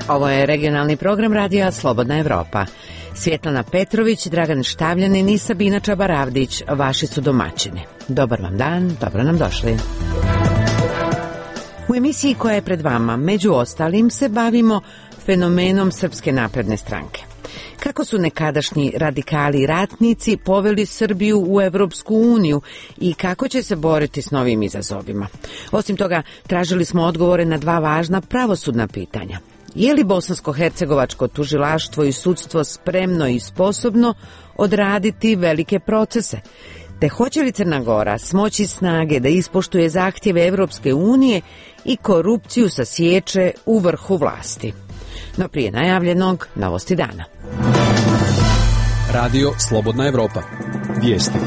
Ovo je regionalni program radija Slobodna Evropa. Svjetlana Petrović, Dragan Štavljanin i Sabina Čabaravdić vaši su domaćini. Dobar vam dan, dobro nam došli. U emisiji koja je pred vama, među ostalim, se bavimo fenomenom Srpske napredne stranke. Kako su nekadašnji radikali i ratnici poveli Srbiju u Evropsku uniju i kako će se boriti s novim izazovima. Osim toga, tražili smo odgovore na dva važna pravosudna pitanja. Je li bosansko-hercegovačko tužilaštvo i sudstvo spremno i sposobno odraditi velike procese? Te hoće li Crna Gora smoći snage da ispoštuje zahtjeve Evropske unije i korupciju sasječe u vrhu vlasti? No prije najavljenog, novosti dana. Radio Slobodna Evropa. Vijesti.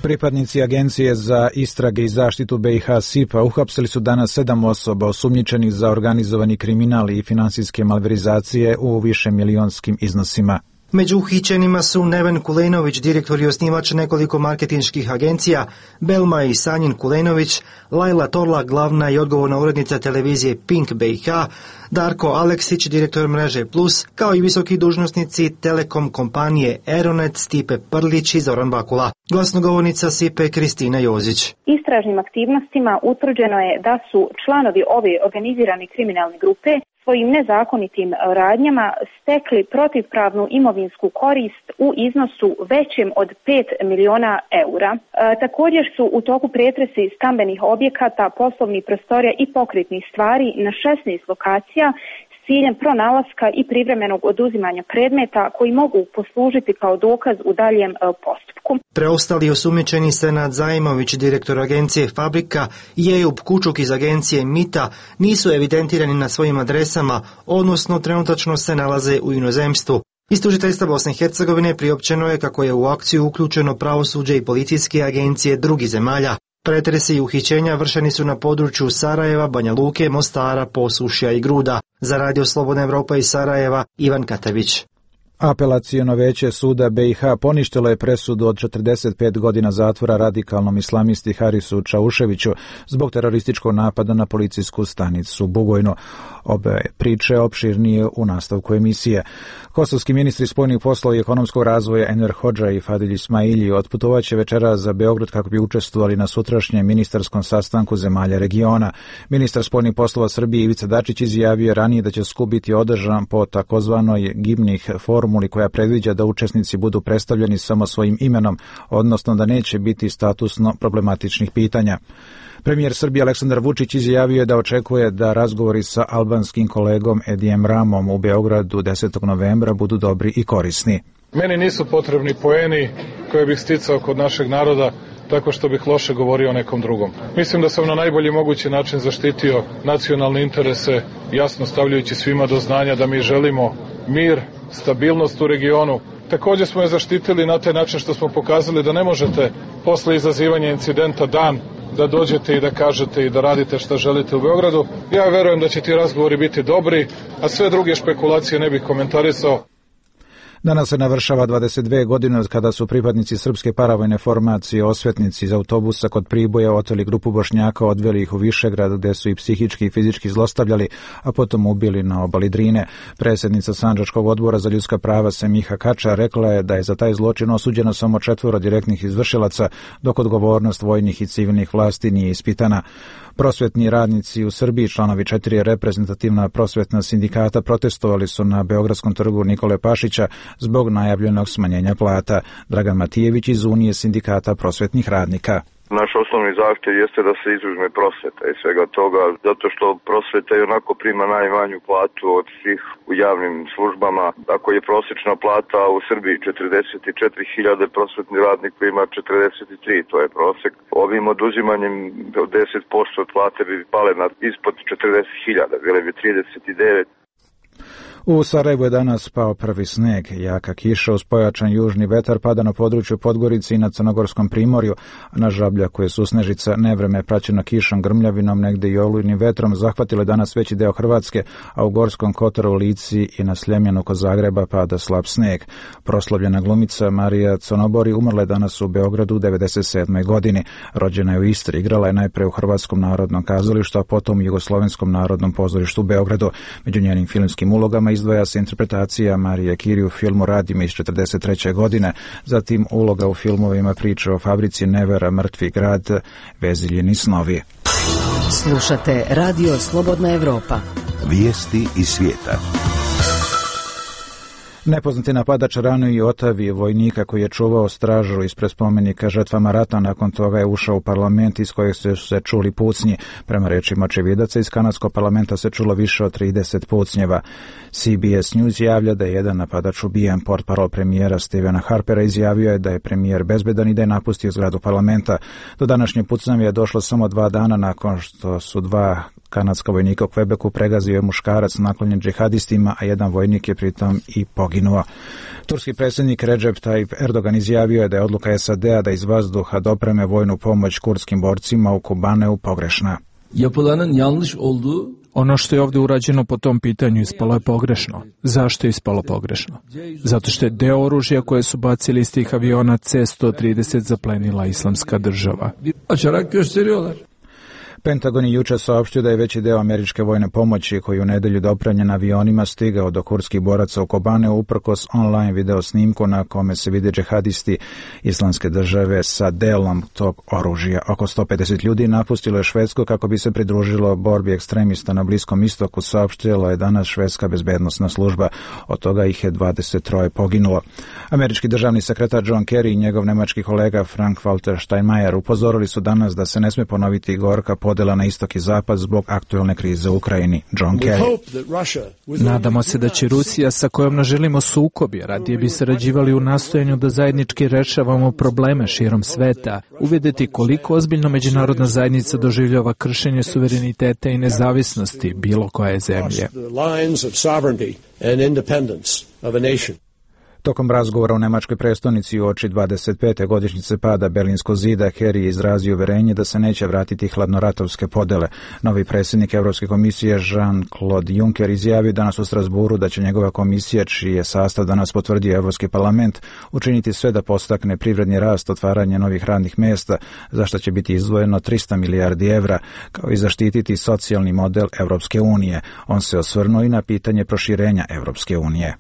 Pripadnici Agencije za istrage i zaštitu BiH SIPA uhapsili su danas 7 osoba osumnjičenih za organizovani kriminal i finansijske malverizacije u višemilijonskim iznosima. Među uhićenima su Neven Kulenović, direktor i osnivač nekoliko marketinških agencija, Belma i Sanjin Kulenović, Lajla Torla, glavna i odgovorna urednica televizije Pink BiH, Darko Aleksić, direktor mreže Plus, kao i visoki dužnosnici Telekom kompanije Aeronet, Stipe Prlić i Zoran Bakula. Glasnogovornica SIPE Kristina Jozić. Istražnim aktivnostima utvrđeno je da su članovi ove organizirane kriminalne grupe svojim nezakonitim radnjama stekli protivpravnu imovinsku korist u iznosu većem od 5 miliona eura. Također su u toku pretresi stambenih objekata, poslovnih prostorija i pokretnih stvari na 16 lokacija s ciljem pronalaska i privremenog oduzimanja predmeta koji mogu poslužiti kao dokaz u daljem postupku. Preostali osumnjičeni Senad Zajmović, direktor agencije Fabrika, i Ejub Kučuk iz agencije Mita nisu evidentirani na svojim adresama, odnosno trenutačno se nalaze u inozemstvu. Iz tužiteljstva Bosne i Hercegovine priopćeno je kako je u akciju uključeno pravosuđe i policijske agencije drugih zemalja. Pretresi i uhićenja vršeni su na području Sarajeva, Banja Luke, Mostara, Posušja i Gruda. Za Radio Slobodna Evropa iz Sarajeva, Ivan Katavić. Apelaciono veće suda BiH poništilo je presudu od 45 godina zatvora radikalnom islamisti Harisu Čauševiću zbog terorističkog napada na policijsku stanicu Bugojno. Obe priče opširnije u nastavku emisije. Kosovski ministri spoljnih poslova i ekonomskog razvoja Enver Hodža i Fadil Ismaili otputovaće večeras za Beograd kako bi učestvovali na sutrašnjem ministarskom sastanku zemalja regiona. Ministar spoljnih poslova Srbije Ivica Dačić izjavio ranije da će skup biti održan po takozvanoj Gimnih formuli koja predviđa da učesnici budu predstavljeni samo svojim imenom, odnosno da neće biti statusno problematičnih pitanja. Premijer Srbije Aleksandar Vučić izjavio je da očekuje da razgovori sa albanskim kolegom Edijem Ramom u Beogradu 10. novembra budu dobri i korisni. Meni nisu potrebni poeni koje bih sticao kod našeg naroda tako što bih loše govorio o nekom drugom. Mislim da sam na najbolji mogući način zaštitio nacionalne interese, jasno stavljajući svima do znanja da mi želimo mir, stabilnost u regionu. Također smo je zaštitili na taj način što smo pokazali da ne možete posle izazivanja incidenta dan da dođete i da kažete i da radite šta želite u Beogradu. Ja verujem da će ti razgovori biti dobri, a sve druge špekulacije ne bih komentarisao. Danas se navršava 22 godine od kada su pripadnici srpske paravojne formacije Osvetnici iz autobusa kod Priboja oteli grupu Bošnjaka, odveli ih u Višegrad gde su i psihički i fizički zlostavljali, a potom ubili na obali Drine. Predsjednica Sandžačkog odbora za ljudska prava Semiha Kača rekla je da je za taj zločin osuđeno samo 4 direktnih izvršilaca, dok odgovornost vojnih i civilnih vlasti nije ispitana. Prosvetni radnici u Srbiji, članovi 4 reprezentativna prosvetna sindikata, protestovali su na Beogradskom trgu Nikole Pašića zbog najavljenog smanjenja plata. Dragan Matijević iz Unije sindikata prosvetnih radnika. Naš osnovni zahtjev jeste da se izuzme prosveta i svega toga, zato što prosveta i onako prima najmanju platu od svih u javnim službama. Ako je prosječna plata u Srbiji 44.000, prosvetni radnik ima 43, to je prosjek. Ovim oduzimanjem od 10% od plate bi pale na ispod 40.000, bile bi 39. U Sarajevu je danas pao prvi sneg. Jaka kiša uz pojačan južni vetar pada na području Podgorice i na Crnogorskom primorju, a na Žabljaku je susnežica. Nevreme praćeno kišom, grmljavinom, negde i olujnim vetrom zahvatilo je danas veći deo Hrvatske, a u Gorskom Kotaru, Lici i na Sljemenu kod Zagreba pada slab sneg. Proslavljena glumica Marija Conobori umrla je danas u Beogradu u 97. godini. Rođena je u Istri, igrala je najpre u Hrvatskom narodnom kazalištu, a potom u Jugoslovenskom narodnom pozorištu u Beogradu. Među njenim filmskim ulogama izdvaja se interpretacija Marije Curie u filmu Radime iz 1943. godine, zatim uloga u filmovima Priče o fabrici Nevera, Mrtvi grad, Veziljini snovi. Slušate Radio Slobodna Evropa. Vijesti iz svijeta. Nepoznati napadač ranio i Otavije, vojnika koji je čuvao stražu ispred spomenika žrtvama rata. Nakon toga je ušao u parlament iz kojeg su se čuli pucnji. Prema rečima očevidaca, iz kanadskog parlamenta se čulo više od 30 pucnjeva. CBS News javlja da je jedan napadač ubijen. Portparol premijera Stephena Harpera izjavio je da je premijer bezbedan i da je napustio zgradu parlamenta. Do današnje pucnjave je došlo samo 2 dana nakon što su 2 kanadska vojnika u Quebecu pregazio je muškarac naklonjen džihadistima, a jedan vojnik je pritom i poginuo. Turski predsjednik Recep Tayyip Erdogan izjavio je da je odluka SAD-a da iz vazduha dopreme vojnu pomoć kurdskim borcima u Kobaneu pogrešna. Ono što je ovdje urađeno po tom pitanju ispalo je pogrešno. Zašto je ispalo pogrešno? Zato što je deo oružja koje su bacili iz tih aviona C-130 zaplenila Islamska država. Pentagon je jučer saopštio da je veći deo američke vojne pomoći koji u nedjelju dopremljen avionima stigao do kurdskih boraca u Kobaneu uprkos online video snimku na kome se vide džihadisti Islamske države sa delom tog oružja. Oko 150 ljudi napustilo je Švedsku kako bi se pridružilo borbi ekstremista na Bliskom istoku, saopštila je danas švedska bezbednosna služba. Od toga ih je 23 poginulo. Američki državni sekretar John Kerry i njegov nemački kolega Frank-Walter Steinmeier upozorili su danas da se ne smije ponoviti gorka podela na istok i zapad zbog aktuelne krize u Ukrajini. John Kerry. Nadamo se da će Rusija, sa kojom ne želimo sukobi, radije bi sarađivali u nastojanju da zajednički rešavamo probleme širom sveta, uvidjeti koliko ozbiljno međunarodna zajednica doživljava kršenje suvereniteta i nezavisnosti bilo koje zemlje. Tokom razgovora u nemačkoj prestonici uoči 25. godišnjice pada Berlinskog zida, Kerry je izrazio uverenje da se neće vratiti hladnoratovske podele. Novi predsjednik Europske komisije Jean-Claude Juncker izjavio danas u Strasburu da će njegova komisija, čiji je sastav danas potvrdio Europski parlament, učiniti sve da podstakne privredni rast, otvaranje novih radnih mjesta, za što će biti izdvojeno 300 milijardi evra, kao i zaštititi socijalni model Europske unije. On se osvrnuo i na pitanje proširenja Europske unije.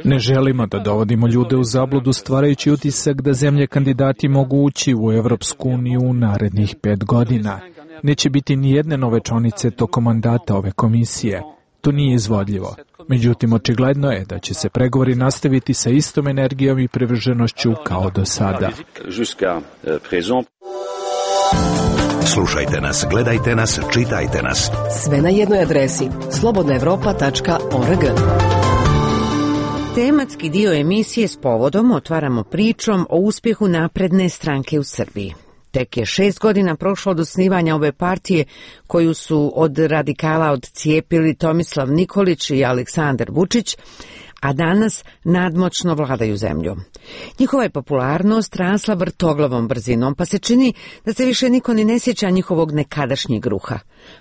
Ne želimo da dovodimo ljude u zabludu stvarajući utisak da zemlje kandidati mogu ući u Evropsku uniju u narednih 5 godina. Neće biti ni jedne nove članice tokom mandata ove komisije. To nije izvodljivo. Međutim, očigledno je da će se pregovori nastaviti sa istom energijom i privrženošću kao do sada. Slušajte nas, gledajte nas, čitajte nas. Sve na jednoj adresi slobodnaevropa.org. Tematski dio emisije s povodom otvaramo pričom o uspjehu napredne stranke u Srbiji. Tek je 6 godina prošlo od osnivanja ove partije koju su od radikala odcijepili Tomislav Nikolić i Aleksandar Vučić, a danas nadmoćno vladaju zemljom. Njihova je popularnost rasla vrtoglavom brzinom, pa se čini da se više niko ni ne sjeća njihovog nekadašnjeg ruha.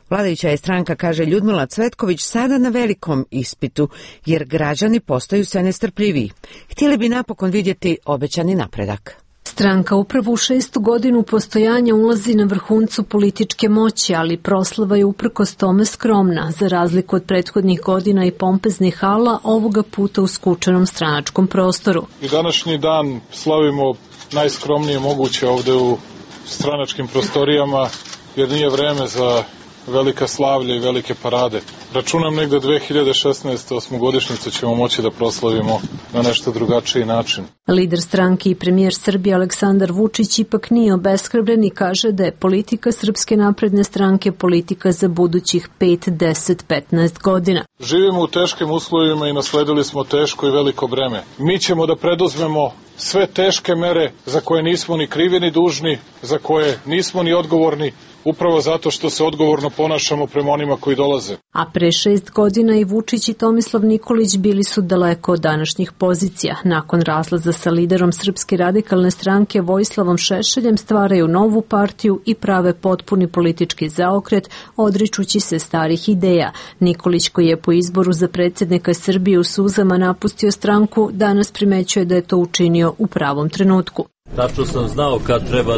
Vladajuća je stranka, kaže Ljudmila Cvetković, sada na velikom ispitu, jer građani postaju sve nestrpljiviji. Htjeli bi napokon vidjeti obećani napredak. Stranka upravo u 6. godinu postojanja ulazi na vrhuncu političke moći, ali proslava je uprkos tome skromna. Za razliku od prethodnih godina i pompeznih hala, ovoga puta u skučenom stranačkom prostoru. I današnji dan slavimo najskromnije moguće ovde u stranačkim prostorijama, jer nije vreme za velika slavlja i velike parade. Računam negde 2016. osmogodišnjicu ćemo moći da proslavimo na nešto drugačiji način. Lider stranke i premijer Srbije Aleksandar Vučić ipak nije obeshrabren i kaže da je politika Srpske napredne stranke politika za budućih 5, 10, 15 godina. Živimo u teškim uslovima i nasledili smo teško i veliko breme. Mi ćemo da preduzmemo sve teške mere za koje nismo ni krivi ni dužni, za koje nismo ni odgovorni, upravo zato što se odgovorno ponašamo prema onima koji dolaze. A pre 6 godina i Vučić i Tomislav Nikolić bili su daleko od današnjih pozicija. Nakon razlaza sa liderom Srpske radikalne stranke Vojislavom Šešeljem stvaraju novu partiju i prave potpuni politički zaokret, odričući se starih ideja. Nikolić, koji je po izboru za predsjednika Srbije u suzama napustio stranku, danas primećuje da je to učinio u pravom trenutku. Tačno sam znao kad treba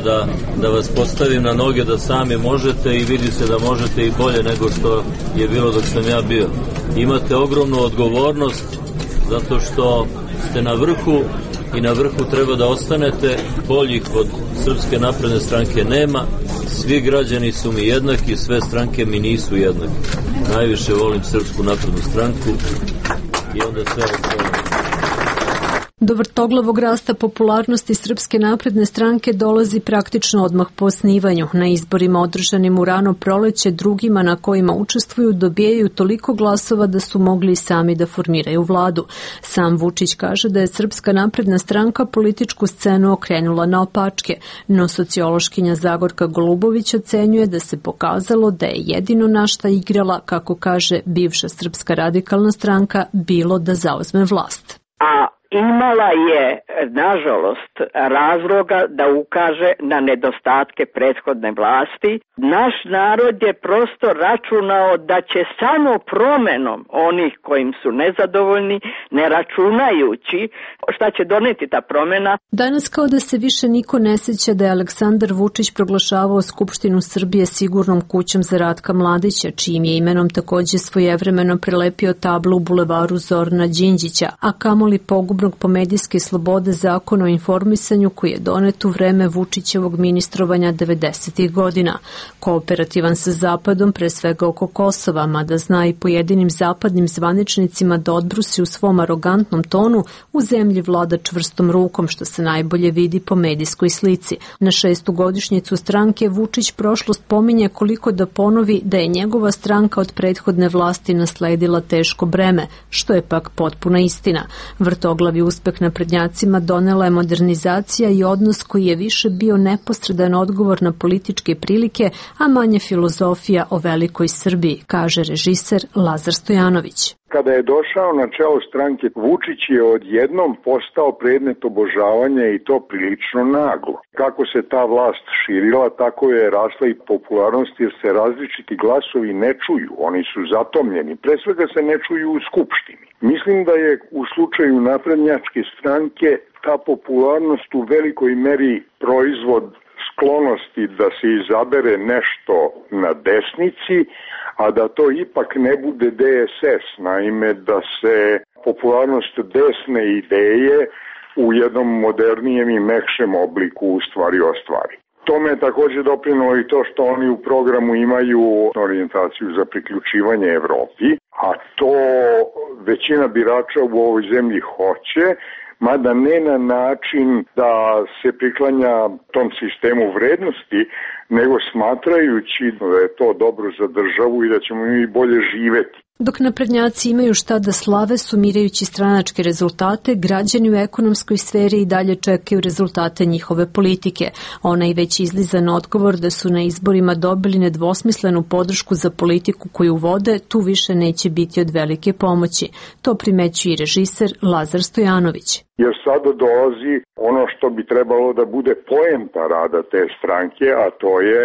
da vas postavim na noge, da sami možete i vidi se da možete i bolje nego što je bilo dok sam ja bio. Imate ogromnu odgovornost zato što ste na vrhu i na vrhu treba da ostanete. Boljih od Srpske napredne stranke nema. Svi građani su mi jednaki, sve stranke mi nisu jednaki. Najviše volim Srpsku naprednu stranku i onda sve ostalo. Do vrtoglavog rasta popularnosti Srpske napredne stranke dolazi praktično odmah po osnivanju. Na izborima održanim u rano proleće drugima na kojima učestvuju dobijaju toliko glasova da su mogli sami da formiraju vladu. Sam Vučić kaže da je Srpska napredna stranka političku scenu okrenula naopačke, no sociološkinja Zagorka Golubović ocenjuje da se pokazalo da je jedino na šta igrala, kako kaže bivša Srpska radikalna stranka, bilo da zauzme vlast. Imala je, nažalost, razloga da ukaže na nedostatke prethodne vlasti. Naš narod je prosto računao da će samo promenom onih kojim su nezadovoljni, ne računajući šta će doneti ta promena. Danas kao da se više niko ne sjeća da je Aleksandar Vučić proglašavao Skupštinu Srbije sigurnom kućom za Ratka Mladića, čijim je imenom takođe svojevremeno prelepio tablu u bulevaru Zorana Đinđića, a kamoli pogubno po medijske slobode Zakon o informisanju koji je donet u vreme Vučićevog ministrovanja 90. godina. Kooperativan sa Zapadom, pre svega oko Kosova, mada zna i pojedinim zapadnim zvaničnicima da odbrusi u svom arogantnom tonu, u zemlji vlada čvrstom rukom, što se najbolje vidi po medijskoj slici. Na 6. godišnjicu stranke Vučić prošlost pominje koliko da ponovi da je njegova stranka od prethodne vlasti nasledila teško breme, što je pak potpuna istina. Vrtoglavi uspeh naprednjacima donela je modernizacija i odnos koji je više bio neposredan odgovor na političke prilike, a manje filozofija o velikoj Srbiji, kaže režiser Lazar Stojanović. Kada je došao na čelo stranke, Vučić je odjednom postao predmet obožavanja i to prilično naglo. Kako se ta vlast širila, tako je rasla i popularnost jer se različiti glasovi ne čuju, oni su zatomljeni, pre svega se ne čuju u Skupštini. Mislim da je u slučaju naprednjačke stranke ta popularnost u velikoj meri proizvod sklonosti da se izabere nešto na desnici, a da to ipak ne bude DSS, naime da se popularnost desne ideje u jednom modernijem i mekšem obliku u stvari ostvari. Tome je također doprinalo i to što oni u programu imaju orijentaciju za priključivanje Evropi, a to većina birača u ovoj zemlji hoće, mada ne na način da se priklanja tom sistemu vrednosti, nego smatrajući da je to dobro za državu i da ćemo mi bolje živeti. Dok naprednjaci imaju šta da slave sumirajući stranačke rezultate, građani u ekonomskoj sferi i dalje čekaju rezultate njihove politike. Onaj već izlizan odgovor da su na izborima dobili nedvosmislenu podršku za politiku koju vode, tu više neće biti od velike pomoći. To primećuje i režiser Lazar Stojanović. Jer sada dolazi ono što bi trebalo da bude poenta rada te stranke, a to je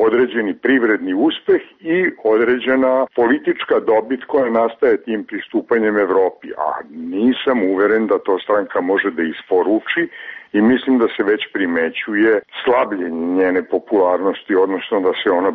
određeni privredni uspeh i određena politička dobit koja nastaje tim pristupanjem Evropi. A nisam uveren da to stranka može da isporuči i mislim da se već primećuje slabljenje njene popularnosti, odnosno da se ona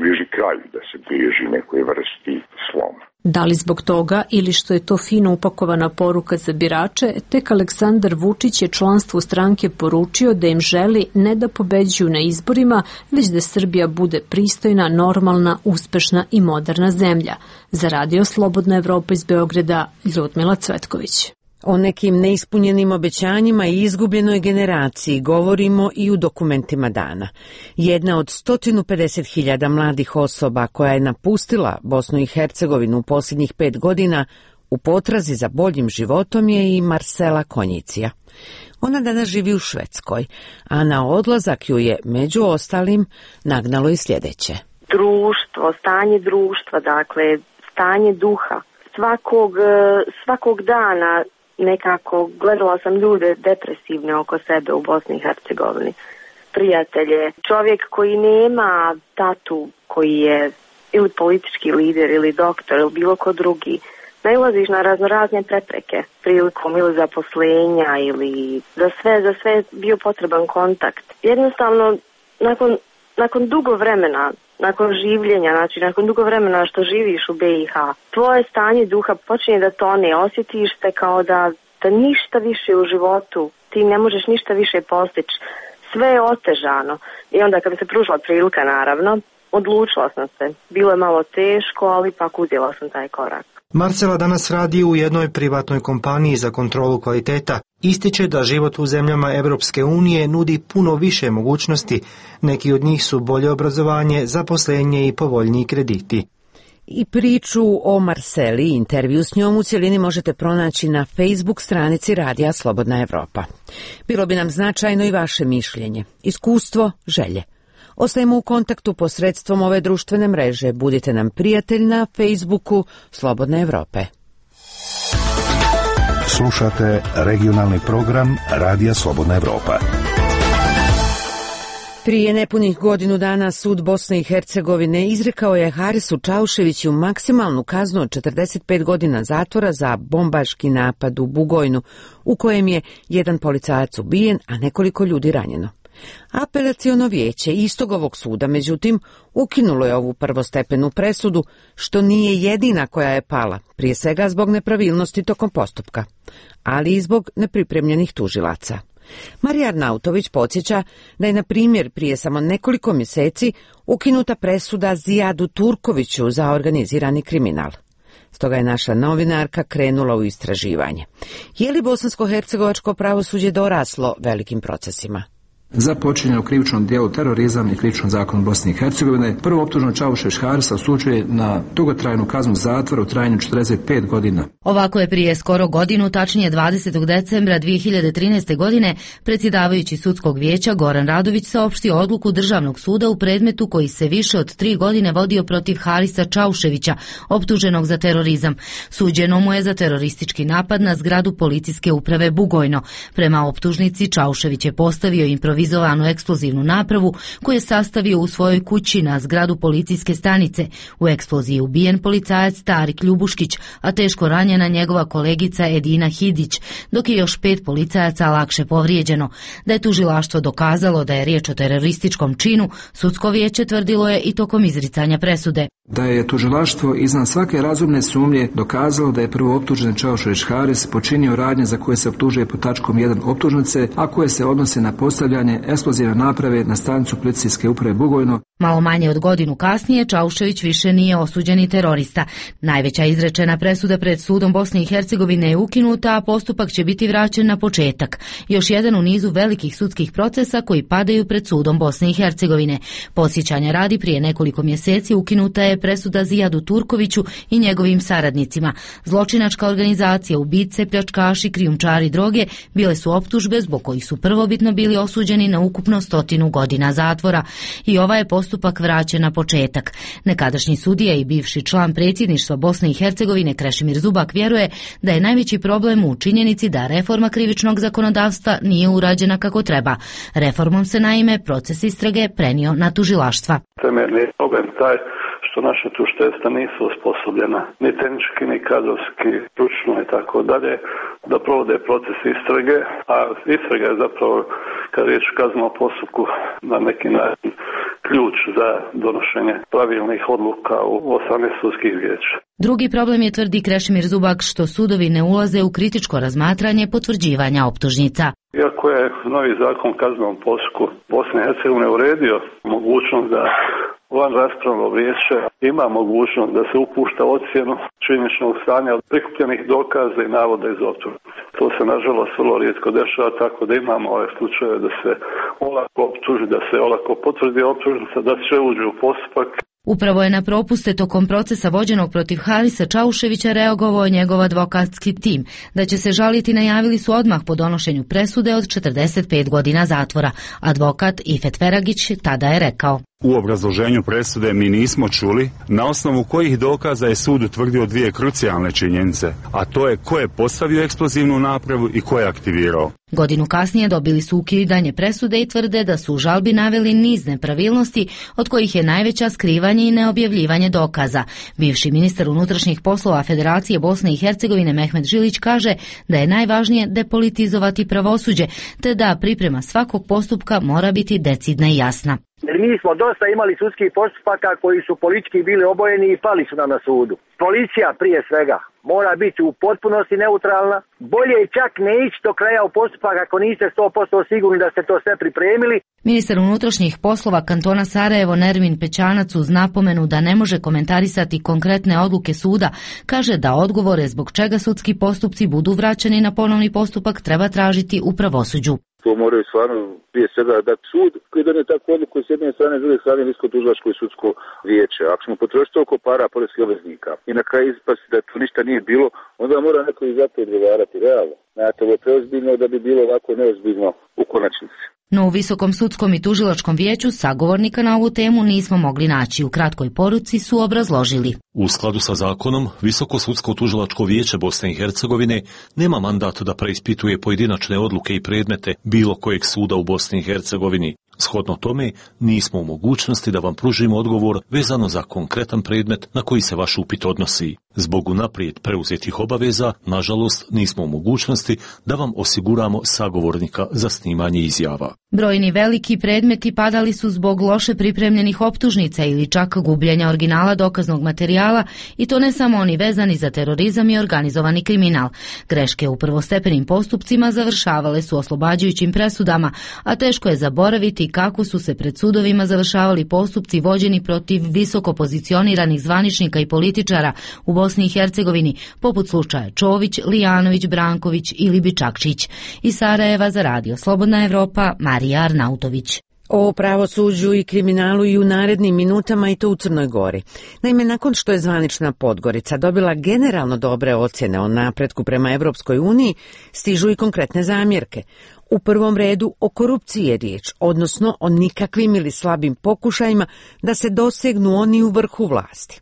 bliži kraju, da se bliži nekoj vrsti sloma. Da li zbog toga ili što je to fino upakovana poruka za birače, tek Aleksandar Vučić je članstvu stranke poručio da im želi ne da pobeđuju na izborima, već da Srbija bude pristojna, normalna, uspešna i moderna zemlja. Za Radio Slobodna Evropa iz Beograda, Ljudmila Cvetković. O nekim neispunjenim obećanjima i izgubljenoj generaciji govorimo i u dokumentima dana. Jedna od 150.000 mladih osoba koja je napustila Bosnu i Hercegovinu u posljednjih 5 godina u potrazi za boljim životom je i Marsela Konjicija. Ona danas živi u Švedskoj, a na odlazak ju je, među ostalim, nagnalo i sljedeće. društvo, stanje društva, dakle, stanje duha. Svakog dana nekako gledala sam ljude depresivne oko sebe u Bosni i Hercegovini. Prijatelje, čovjek koji nema tatu, koji je ili politički lider ili doktor ili bilo ko drugi, nailaziš na razne prepreke prilikom ili zaposlenja ili za sve bio potreban kontakt. Jednostavno, nakon dugo vremena, nakon življenja, znači nakon dugo vremena što živiš u BiH, tvoje stanje duha počinje da tone, osjetiš se kao da ništa više u životu, ti ne možeš ništa više postići, sve je otežano. I onda kada se pružila prilika, naravno, odlučila sam se. Bilo je malo teško, ali ipak uzela sam taj korak. Marcela danas radi u jednoj privatnoj kompaniji za kontrolu kvaliteta. Ističe da život u zemljama Europske unije nudi puno više mogućnosti. Neki od njih su bolje obrazovanje, zaposlenje i povoljniji krediti. I priču o Marceli i intervju s njom u cjelini možete pronaći na Facebook stranici Radija Slobodna Evropa. Bilo bi nam značajno i vaše mišljenje, iskustvo, želje. Ostajemo u kontaktu posredstvom ove društvene mreže. Budite nam prijatelj na Facebooku Slobodne Evrope. Slušate regionalni program Radija Slobodna Evropa. Prije nepunih godinu dana sud Bosne i Hercegovine izrekao je Harisu Čauševiću maksimalnu kaznu od 45 godina zatvora za bombaški napad u Bugojnu, u kojem je jedan policajac ubijen, a nekoliko ljudi ranjeno. Apelaciono vijeće istog ovog suda, međutim, ukinulo je ovu prvostepenu presudu, što nije jedina koja je pala, prije svega zbog nepravilnosti tokom postupka, ali i zbog nepripremljenih tužilaca. Marija Arnautović podsjeća da je, na primjer, prije samo nekoliko mjeseci ukinuta presuda Zijadu Turkoviću za organizirani kriminal. Stoga je naša novinarka krenula u istraživanje. Je li bosansko-hercegovačko pravosuđe doraslo velikim procesima? Za počinjenje u krivičnom dijelu terorizam i krivičnom zakonu Bosne i Hercegovine, prvo optuženo Čaušević Harisa osuđuje na dugotrajnu kaznu zatvora u trajanju 45 godina. Ovako je prije skoro godinu, tačnije 20. decembra 2013. godine, predsjedavajući sudskog vijeća Goran Radović saopštio odluku Državnog suda u predmetu koji se više od 3 godine vodio protiv Harisa Čauševića, optuženog za terorizam. Suđeno mu je za teroristički napad na zgradu policijske uprave Bugojno. Prema optužnici, Čaušević je postavio improvizovanu eksplozivnu napravu koju je sastavio u svojoj kući na zgradu policijske stanice. U eksploziji je ubijen policajac Tarik Ljubuškić, a teško ranjena njegova kolegica Edina Hidić, dok je još 5 policajaca lakše povrijeđeno. Da je tužilaštvo dokazalo da je riječ o terorističkom činu, sudsko vijeće tvrdilo je i tokom izricanja presude. Da je tužilaštvo iznad svake razumne sumnje dokazalo da je prvo optužen Čaušević Haris počinio radnje za koje se optužuje pod tačkom 1 optužnice, a koje se odnose na postavljanje eksplozivne naprave na stanicu policijske uprave Bugojno. Malo manje od godinu kasnije Čaušević više nije osuđeni terorista. Najveća izrečena presuda pred sudom Bosne i Hercegovine je ukinuta, a postupak će biti vraćen na početak. Još jedan u nizu velikih sudskih procesa koji padaju pred sudom Bosne i Hercegovine. Podsjećanja radi, prije nekoliko mjeseci ukinuta je presuda Zijadu Turkoviću i njegovim saradnicima. Zločinačka organizacija, ubice, pljačkaši, krijumčari droge bile su optužbe zbog kojih su prvobitno bili osuđeni na ukupno 100 godina zatvora. I ova je postupak vraćen na početak. Nekadašnji sudija i bivši član predsjedništva Bosne i Hercegovine Krešimir Zubak vjeruje da je najveći problem u činjenici da reforma krivičnog zakonodavstva nije urađena kako treba. Reformom se naime proces istrage prenio na tužilaštva. Temeljni problem taj što naša tužiteljstva nisu osposobljena ni tehnički, ni kadrovski, stručno i tako dalje, da provode proces istrage, a istraga je zapravo, kad riječ o kaznenom postupku, na neki način ključ za donošenje pravilnih odluka u 18 sudskih vijeća. Drugi problem je, tvrdi Krešimir Zubak, što sudovi ne ulaze u kritičko razmatranje potvrđivanja optužnica. Iako je novi zakon o kaznenom postupku Bosne i Hercegovine uredio mogućnost da van raspravno vijeće ima mogućnost da se upušta ocjenu činjeničnog stanja od prikupljenih dokaza i navoda iz optužnice. To se nažalost vrlo rijetko dešava, tako da imamo ove slučaje da se olako optuži, da se olako potvrdi optužnica, da se uđe u postupak. Upravo je na propuste tokom procesa vođenog protiv Harisa Čauševića reagovao njegov advokatski tim. Da će se žaliti najavili su odmah po donošenju presude od 45 godina zatvora. Advokat Ifet Feragić tada je rekao: U obrazloženju presude mi nismo čuli na osnovu kojih dokaza je sud utvrdio dvije krucijalne činjenice, a to je ko je postavio eksplozivnu napravu i ko je aktivirao. Godinu kasnije dobili su ukidanje presude i tvrde da su u žalbi naveli niz nepravilnosti, od kojih je najveća skrivanje i neobjavljivanje dokaza. Bivši ministar unutrašnjih poslova Federacije Bosne i Hercegovine Mehmet Žilić kaže da je najvažnije depolitizovati pravosuđe, te da priprema svakog postupka mora biti decidna i jasna. Jer mi smo dosta imali sudskih postupaka koji su politički bili obojeni i pali su nam na sudu. Policija prije svega mora biti u potpunosti neutralna. Bolje je čak ne ići do kraja u postupak ako niste 100% sigurni da ste to sve pripremili. Ministar unutrašnjih poslova kantona Sarajevo Nermin Pećanac uz napomenu da ne može komentarisati konkretne odluke suda, kaže da odgovore zbog čega sudski postupci budu vraćeni na ponovni postupak treba tražiti u pravosuđu. To moraju stvarno prije svega dati sud koji donije takvu odluku s jedne strane, s druge strane Visko tužilačko i sudsko vijeće. Ako ćemo potrošiti toliko para poreskih obveznika i na kraju ispasti da to ništa nije bilo, onda mora neko i za to odgovarati realno. Znate, ovo je preozbiljno da bi bilo ovako neozbiljno u konačnici. No u Visokom sudskom i tužilačkom vijeću sagovornika na ovu temu nismo mogli naći. U kratkoj poruci su obrazložili. U skladu sa zakonom, Visoko sudsko tužilačko vijeće Bosne i Hercegovine nema mandat da preispituje pojedinačne odluke i predmete bilo kojeg suda u Bosni i Hercegovini. Shodno tome, nismo u mogućnosti da vam pružimo odgovor vezano za konkretan predmet na koji se vaš upit odnosi. Zbog unaprijed preuzetih obaveza, nažalost, nismo u mogućnosti da vam osiguramo sagovornika za snimanje izjava. Brojni veliki predmeti padali su zbog loše pripremljenih optužnica ili čak gubljenja originala dokaznog materijala, i to ne samo oni vezani za terorizam i organizovani kriminal. Greške u prvostepenim postupcima završavale su oslobađajućim presudama, a teško je zaboraviti kako su se pred sudovima završavali postupci vođeni protiv visoko pozicioniranih zvaničnika i političara u Bosni i Hercegovini, poput slučaja Čović, Lijanović, Branković ili Bičakčić. Iz Sarajeva za Radio Slobodna Evropa, Marija Arnautović. O pravosuđu i kriminalu i u narednim minutama, i to u Crnoj Gori. Naime, nakon što je zvanična Podgorica dobila generalno dobre ocjene o napretku prema Evropskoj uniji, stižu i konkretne zamjerke. U prvom redu o korupciji je riječ, odnosno o nikakvim ili slabim pokušajima da se dosegnu oni u vrhu vlasti.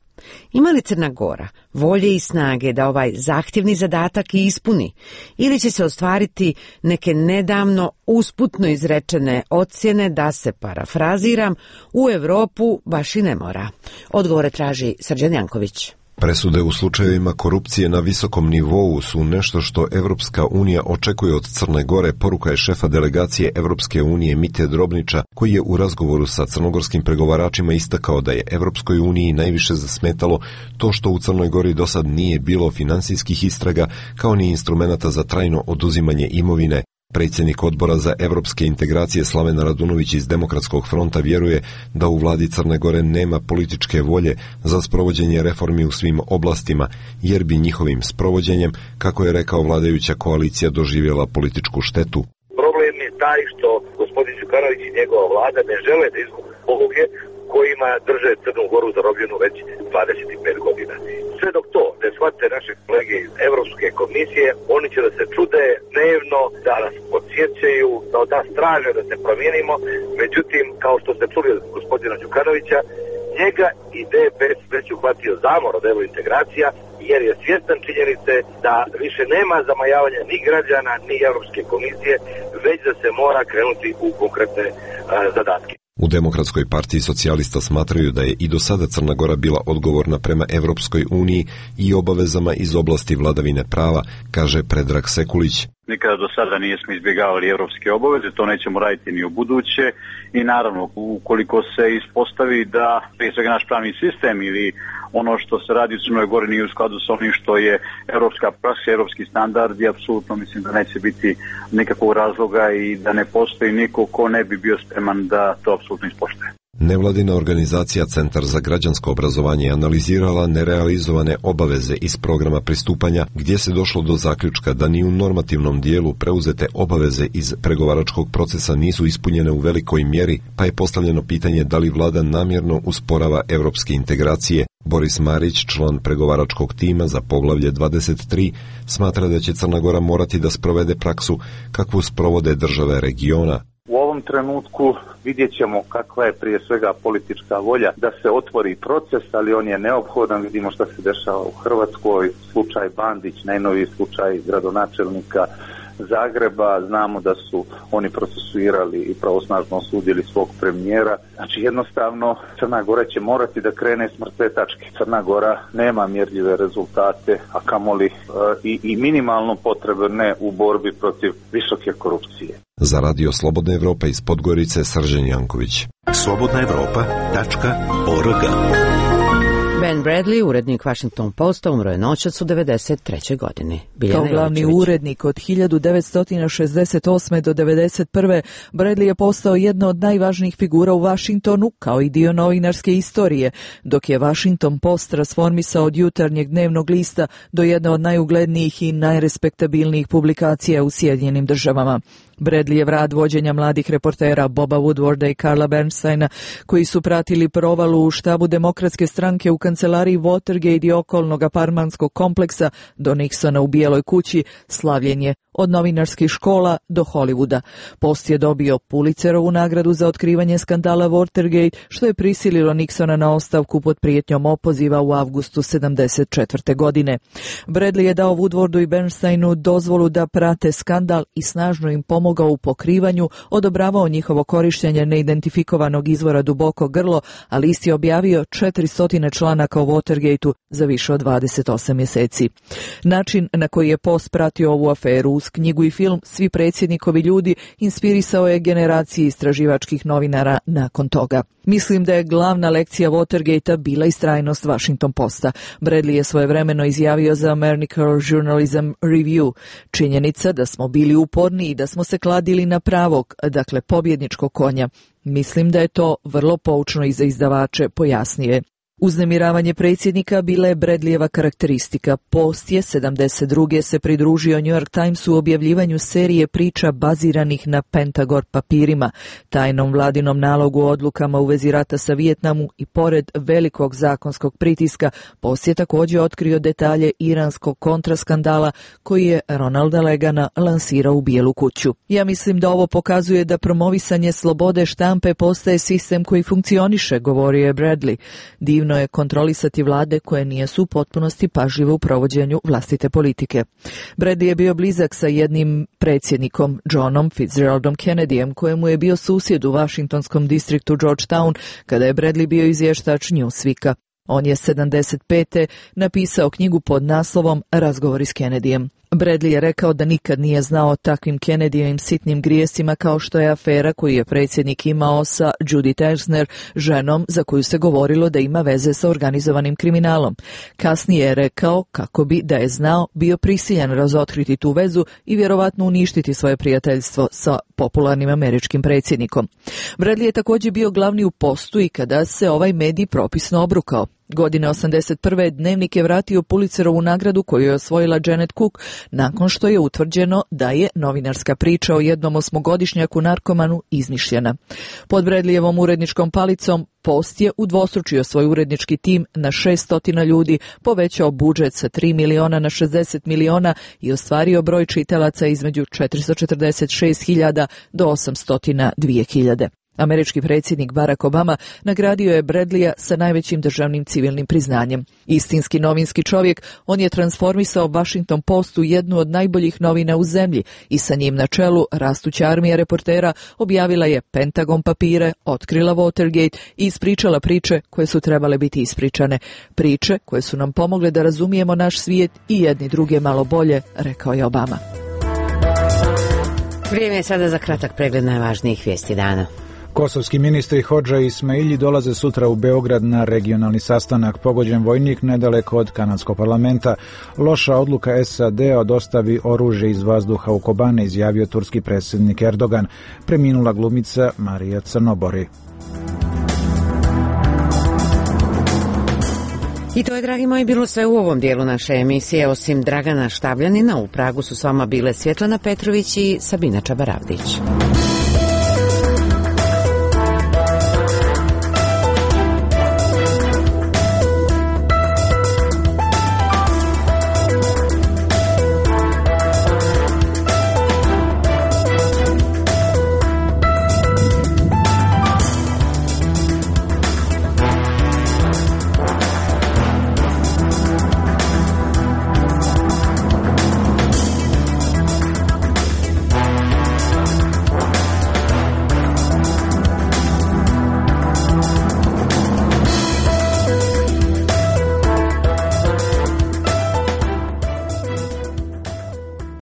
Ima li Crna Gora volje i snage da ovaj zahtjevni zadatak i ispuni, ili će se ostvariti neke nedavno usputno izrečene ocjene da se, parafraziram, u Europu baš i ne mora? Odgovore traži Srđan Janković. Presude u slučajevima korupcije na visokom nivou su nešto što Evropska unija očekuje od Crne Gore, poruka je šefa delegacije Evropske unije Mite Drobnića, koji je u razgovoru sa crnogorskim pregovaračima istakao da je Evropskoj uniji najviše zasmetalo to što u Crnoj Gori do sad nije bilo finansijskih istraga kao ni instrumenata za trajno oduzimanje imovine. Predsjednik odbora za evropske integracije Slaven Radunović iz Demokratskog fronta vjeruje da u vladi Crne Gore nema političke volje za sprovođenje reformi u svim oblastima, jer bi njihovim sprovođenjem, kako je rekao vladajuća koalicija, doživjela političku štetu. Problem je taj što gospodin Đukanović i njegova vlada ne žele da izgubi poluge kojima drže Crnu Goru zarobljenu već 25 godina. Sve dok to ne shvate naše kolege iz Evropske komisije, oni će da se čude dnevno, da nas podsjećaju, da od nas traže da se promijenimo. Međutim, kao što ste čuli od gospodina Đukanovića, njega i DPS već uhvatio zamor od eurointegracija, jer je svjestan činjenice da više nema zamajavanja ni građana, ni Evropske komisije, već da se mora krenuti u konkretne zadatke. U Demokratskoj partiji socijalista smatraju da je i do sada Crna Gora bila odgovorna prema Evropskoj uniji i obavezama iz oblasti vladavine prava, kaže Predrag Sekulić. Nikada do sada nismo izbjegavali evropske obaveze, to nećemo raditi ni u buduće i naravno ukoliko se ispostavi da prije svega naš pravni sistem ili ono što se radi u Crnoj Gori nije u skladu sa onim što je evropska praksa, evropski standard, i apsolutno mislim da neće biti nikakvog razloga i da ne postoji niko ko ne bi bio spreman da to apsolutno ispoštuje. Nevladina organizacija Centar za građansko obrazovanje je analizirala nerealizovane obaveze iz programa pristupanja, gdje se došlo do zaključka da ni u normativnom dijelu preuzete obaveze iz pregovaračkog procesa nisu ispunjene u velikoj mjeri, pa je postavljeno pitanje da li vlada namjerno usporava evropske integracije. Boris Marić, član pregovaračkog tima za poglavlje 23, smatra da će Crna Gora morati da sprovede praksu kakvu sprovode države regiona. U ovom trenutku vidjet ćemo kakva je prije svega politička volja da se otvori proces, ali on je neophodan. Vidimo što se dešava u Hrvatskoj, slučaj Bandić, najnoviji slučaj gradonačelnika Zagreba, znamo da su oni procesuirali i pravosnažno osudili svog premijera. Znači jednostavno Crna Gora će morati da krene s mrtve tačke. Crna Gora nema mjerljive rezultate, a kamoli i minimalno potrebne u borbi protiv visoke korupcije. Za Radio Slobodna Evropa iz Podgorice, Srđan Janković. slobodnaevropa.org. Ben Bradley, urednik Washington Posta, umro je noćas u 93. godini. Kao glavni urednik od 1968. do 1991. Bradley je postao jedna od najvažnijih figura u Washingtonu, kao i dio novinarske istorije, dok je Washington Post transformisao od jutarnjeg dnevnog lista do jedne od najuglednijih i najrespektabilnijih publikacija u Sjedinjenim Državama. Bradleyjev rad vođenja mladih reportera Boba Woodwarda i Carla Bernsteina, koji su pratili provalu u štabu Demokratske stranke u kancelariji Watergate i okolnog apartmanskog kompleksa do Nixona u Bijeloj kući, slavljen je od novinarskih škola do Hollywooda. Post je dobio Pulitzerovu nagradu za otkrivanje skandala Watergate, što je prisililo Nixona na ostavku pod prijetnjom opoziva u avgustu 1974. godine. Bradley je dao Woodwardu i Bernsteinu dozvolu da prate skandal i snažno im pomogao u pokrivanju, odobravao njihovo korištenje neidentifikovanog izvora duboko grlo, a list je objavio 400 članaka o Watergateu za više od 28 mjeseci. Način na koji je Post pratio ovu aferu uz knjigu i film Svi predsjednikovi ljudi inspirisao je generaciji istraživačkih novinara nakon toga. Mislim da je glavna lekcija Watergatea bila istrajnost Washington Posta. Bradley je svojevremeno izjavio za American Journalism Review. Činjenica da smo bili uporni i da smo se kladili na pravog, dakle pobjedničkog konja. Mislim da je to vrlo poučno i za izdavače, pojasnio je. Uznemiravanje predsjednika bila je Bradleyjeva karakteristika. Post je 72. se pridružio New York Timesu u objavljivanju serije priča baziranih na Pentagon papirima, tajnom vladinom nalogu o odlukama u vezi rata sa Vijetnamu i pored velikog zakonskog pritiska, Post je također otkrio detalje iranskog kontraskandala koji je Ronalda Reagana lansirao u Bijelu kuću. Ja mislim da ovo pokazuje da promovisanje slobode štampe postaje sistem koji funkcioniše, govorio je Bradley. Divno je kontrolisati vlade koje nisu u potpunosti pažljive u provođenju vlastite politike. Bradley je bio blizak sa jednim predsjednikom, Johnom Fitzgeraldom Kennedyjem, kojemu je bio susjed u Washingtonskom distriktu Georgetown kada je Bradley bio izvještač Newsweeka. On je 75. napisao knjigu pod naslovom Razgovori s Kennedyjem. Bradley je rekao da nikad nije znao o takvim Kennedyjevim sitnim grijesima kao što je afera koju je predsjednik imao sa Judith Ersner, ženom za koju se govorilo da ima veze sa organizovanim kriminalom. Kasnije je rekao kako bi, da je znao, bio prisiljen razotkriti tu vezu i vjerovatno uništiti svoje prijateljstvo sa popularnim američkim predsjednikom. Bradley je također bio glavni u Postu i kada se ovaj medij propisno obrukao. Godine 81. Dnevnik je vratio Pulitzerovu nagradu koju je osvojila Janet Cook nakon što je utvrđeno da je novinarska priča o jednom 8-godišnjaku narkomanu izmišljena. Pod Bradleyjevom uredničkom palicom Post je udvostručio svoj urednički tim na 600 ljudi, povećao budžet sa 3 miliona na 60 miliona i ostvario broj čitalaca između 446.000 do 802.000. Američki predsjednik Barack Obama nagradio je Bradleyja sa najvećim državnim civilnim priznanjem. Istinski novinski čovjek, on je transformisao Washington Post u jednu od najboljih novina u zemlji i sa njim na čelu rastuća armija reportera objavila je Pentagon papire, otkrila Watergate i ispričala priče koje su trebale biti ispričane. Priče koje su nam pomogle da razumijemo naš svijet i jedni druge malo bolje, rekao je Obama. Vrijeme je sada za kratak pregled najvažnijih vijesti dana. Kosovski ministri Hodža i Ismaili dolaze sutra u Beograd na regionalni sastanak. Pogođen vojnik nedaleko od kanadskog parlamenta. Loša odluka SAD-a dostavi oružje iz vazduha u Kobane, izjavio turski predsjednik Erdogan. Preminula glumica Marija Crnobori. I to je, dragi moji, bilo sve u ovom dijelu naše emisije. Osim Dragana Štabljanina, u Pragu su s vama bile Svjetlana Petrović i Sabina Čabaravdić.